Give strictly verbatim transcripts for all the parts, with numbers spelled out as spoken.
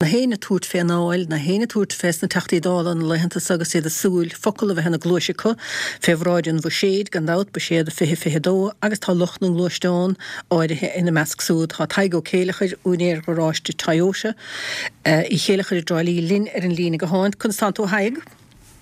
Na héinne ag tabhairt fén Dáil, na héinne ag tabhairt fés na Teachtaí Dála na laethanta so agus iad ag súil focal a bheith ina gcluais acu fé bhráid an bhuiséid, gan dabht, buiséad fiche fiche dó, agus tá lucht na ngluaisteán áirithe ina measc súd. Tá Tadhg Ó Céileachair, úinéir gharáiste Toyota Uí Chéileachair i dTrá Lí linn ar an líne gutháin. Conas tánn tú a Thaidhg?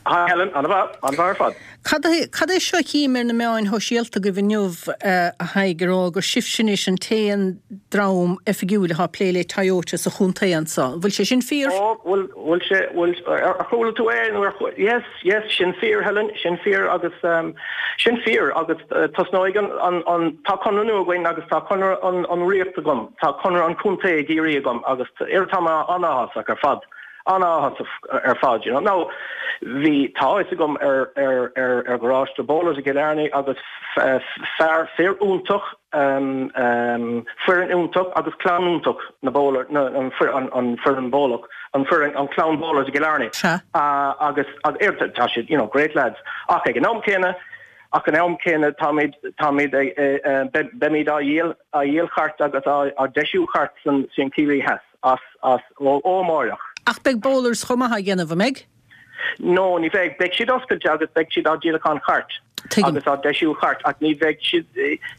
Hi Helen, an-mhaith, an-mhaith ar fad. Cad é, cad é seo a chím ar na meáin shóisialta agaibh inniu, a Thaidhg, ag rá gur sibhse anois an t-aon dream oifigiúil atá ag plé le Toyota sa chontae anso. An bhfuil sé sin fíor? Ó, bhfuil, bhfuil sé, bhfuil, ar chuala tú é nó ar chuala, yes, yes, sin fíor Helen, sin fíor agus, sin fíor agus tosnóidh an, an, an, tá conradh nua againn agus tá conradh an, an ríocht agam, tá conradh an chontae i gCiarraí agam agus tá mé an-áthasach ar fad. An-áthasach ar fad, you know. Now, bhí, tá fhios agam ar, ar, ar, ar gharáiste Bowlers i gCill Airne agus fear, fir iontach, foireann iontach agus clann iontach na Bowler, na, an, an, an foireann Bowlach, an foireann, an clann Bowlers i gCill Airne. Sea. Agus, agus, tá siad, you know, great lads. Ach ag an am céanna, ach an am céanna táimid, táimid ag, beimid á dhíol, á dhíol chairt agus á, á deisiú chairt san, san Ciarraí Theas. As, as, ó, ó amárach. Ach beidh Bowlers chomh maith á dhéanamh, an mbeidh? No, ní bheidh. Beidh siad oscailte agus beidh siad á díolachán chairt. Tuigim. Agus á deisiú chairt ach ní bheidh siad,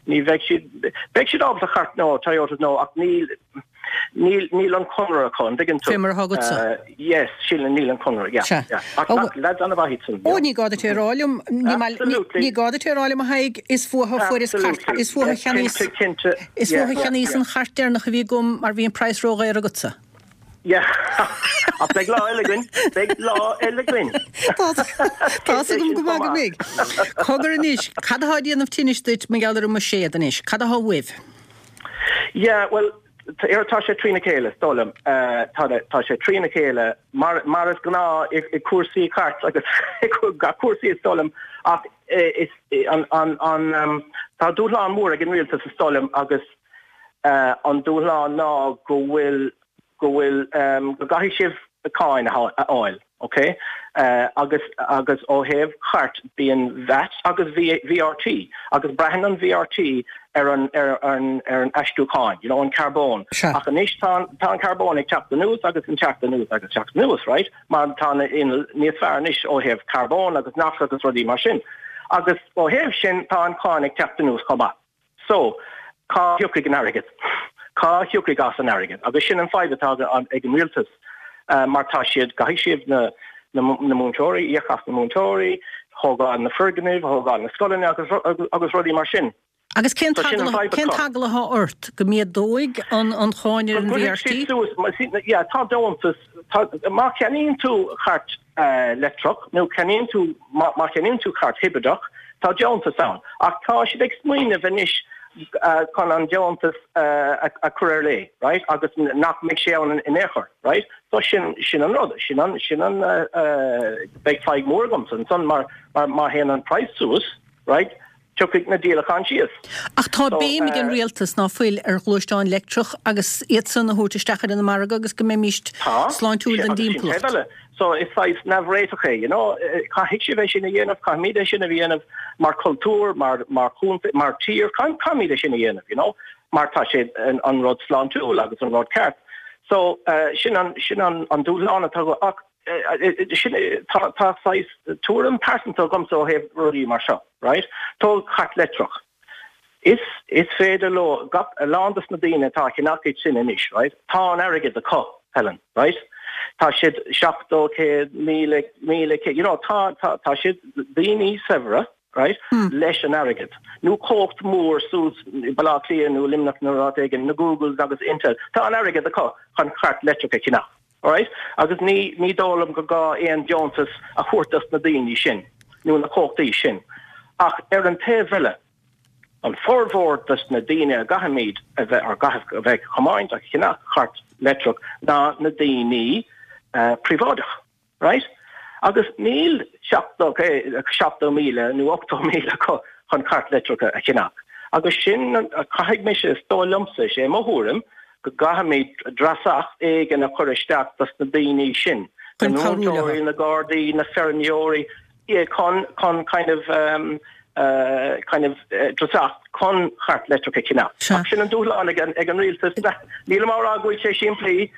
ní bheidh siad, beidh siad ábalta chairt nó Toyotas nó ach níl, níl, níl an conradh acu, an dtuigeann tú? Fé mar atá agatsa. Yes, sílim níl an conradh, yeah, Sea. yeah. Ach, ach lads an-mhaith iad san, Ó, yeah. ní gá duit é a rá liom, ní maith, ní, Absolutely. ní gá duit é a rá liom a Thaidhg, is fúthu a fuaireas cairt, Absolutely. is fúthu a cheannaíos, Cinnte, cinnte. is Yeah, fúthu a yeah, cheannaíos yeah. an chairt deireanach a bhí agam mar bhí an praghas ródhaor agatsa. Yeah. Ach beidh lá eile againn, beidh lá eile againn. Tá tá's agam go maith go mbeidh. Cogar anois, cad atá ag déanamh tinnis duit mar gheall ar an mbuiséad anois? Cad atá uaibh? Yeah, well, ar tá sé trína chéile, is dóigh liom. Tá tá sé trína chéile mar mar is gnáth i i cúrsaí cairt agus i gach cúrsaí is dóigh liom ach is an an an tá dúshlán mór ag an rialtas is dóigh liom agus an dúshlán ná go bhfuil go bhfuil go gcaithfidh sibh cáin a fháil, ok? Agus agus ó thaobh chairt bíonn VAT agus VRT agus braitheann an VRT ar an ar an ar an aistriúchán, you know, an carbón. Sea. Ach anois tá an tá an carbón ag teacht anuas agus an teacht anuas agus teacht anuas, right? Mar tá na innill níos fearr anois ó thaobh carbón agus NOx agus rudaí mar sin. Agus ó thaobh sin tá an cáin ag teacht anuas chomh maith. So, cá thiocfaidh an airgead? Cá thiocfaidh as an airgead? Agus sin an fadhb atá ag an rialtas, mar tá siad, caithfidh siad na na múinteoirí, íoc as na múinteoirí, thógáil na foirgnimh, thógáil na scoileanna agus agus rudaí mar sin. Agus cén So sin an t-eagla fadhb cén acu. t-eagla atá ort? Go méadóidh an an cháin ar Go an gcuirfidh VRT? siad suas, yeah, tá deontas, tá, má cheannaíonn tú cairt leictreach nó ceannaíonn tú, má cheannaíonn tú cairt hibrideach, tá deontas ann. Ach tá siad ag smaoineamh anois chun an deontas a chur ar lé, right, agus nach mbeidh sé ann in aon chor, right. So sin, sin an rud, sin an, sin an, beidh fadhb mór agamsa ansan mar, mar má théann an praghas suas, right, tiocfaidh na díolacháin síos. Ach tá béim ag an rialtas, ná fuil, ar ghluaisteáin leictreach agus iad san a thabhairt isteach ar an margadh agus go mbeimíst sláintiúil don Tá, agus sin dtimpeallacht. taobh eile. So is saghas neamhréiteach é, you know. Caithfidh sibh é sin a dhéanamh, caithfimid é sin a dhéanamh mar chultúr, mar mar chontae, mar tír, caithfimid é sin a dhéanamh, you know, mar tá sé an rud sláintiúil agus an rud ceart. So sin an sin an an dúshlán atá ach sin tá tá saghas tuairim pearsanta agamsa ó thaobh rudaí mar seo, right? Tóg cairt leictreach. Is is féidir leo gach a lán dos na daoine atá ag ceannach iad sin anois, right? Tá an airgead acu, Helen, right? Tá siad seachtó, céad, míle, míle, céad, you know, tá tá tá siad daoine saibhre, right, leis an airgead. Nó comhlacht mór suas i Baile Átha Cliath nó Luimneach nó áit éigin, na Googles agus Intel, tá an airgead acu chun cairt leictreach a cheannach. Alright? Agus ní, ní dóigh liom go gá aon deontas a thabhairt dos na daoine sin, nó na comhlachtaí sin. Ach ar an taobh eile, an formhór dos na daoine a gcaithfimid a bheith, or gcaithfidh a bheith ag tiomáint ag ceannach cairt leictreach ná na daoine príobháideach. Right? Agus níl seachtó, seachtó míle nó ochtó míle acu chun cairt leictreach a cheannach. Agus sin, caithfidh mise, is dóigh liomsa, is é mo thuairim, go gcaithfimid dreasacht éigin a chur isteach dos na daoine sin, na Chun cabhrú leo. múinteoirí, na gardaí, na feirmeoirí, yeah, chun, chun kind of, um, uh, kind of uh, dreasacht chun cairt leictreach a cheannach. Sea. Ach sin an dúshlán ag an, ag an rialtas. Nílim á rá go bhfuil sé simplí,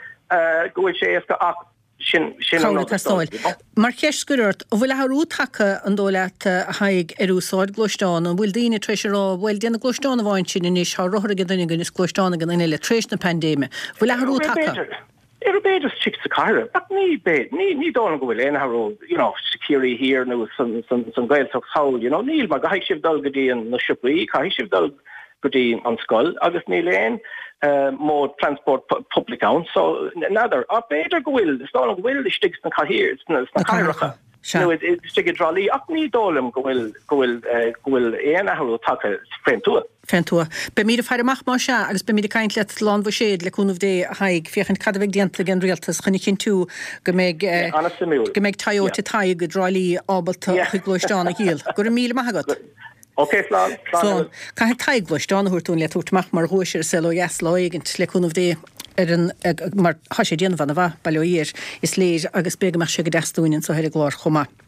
go bhfuil sé éasca ach sin sin an rud is dóigh. Mar cheist scoir ort, an bhfuil athrú tagtha an dóigh leat a Thaidhg ar úsáid gluaisteán, an bhfuil daoine tar éis a rá bhuel déanamh gluaisteán amháin sin anois tá rothar ag an duine againn is gluaisteán ag an duine eile tar éis na paindéime. Bhfuil athrú tagtha? Ar b'fhéidir istigh sa chathair, ach ní ní ní dóigh go bhfuil aon athrú you know Ciarraí Thiar nó san san san Ghaeltacht thall you know níl mar caithfidh sibh dul go dtí an na siopaí caithfidh sibh dul go dtí an scoil agus níl aon uh, mode transport public ann so n'fheadar ach b'fhéidir go bhfuil is dóigh go bhfuil istigh sna cathair sna cathracha nó istigh i dTrá Lí ach ní dóigh liom go bhfuil go bhfuil go bhfuil aon athrú tagtha fén tuath. Fén tuath. Beimid ag faire amach mar sin agus beimid ag caint leat lá an bhuiséid le cúnamh Dé a Thaidhg féachaint cad a bheidh déanta ag an rialtas chun a chinntiú go mbeidh go mbeidh Toyota Tadhg i dTrá Lí ábalta chuig gluaisteán a dhíol. Go raibh míle maith agat. Ok slán Slán. Caithfidh Tadhg gluaisteán a thabhairt dúinn le tabhairt amach mar dhuais ar an Saol Ó Dheas lá éigint le cúnamh Dé ar an mar tá sé déanamh an-mhaith bail ó Dhia air is léir agus b'fhéidir go mbeadh sé go deas dúinn anseo ar an gclár chomh maith.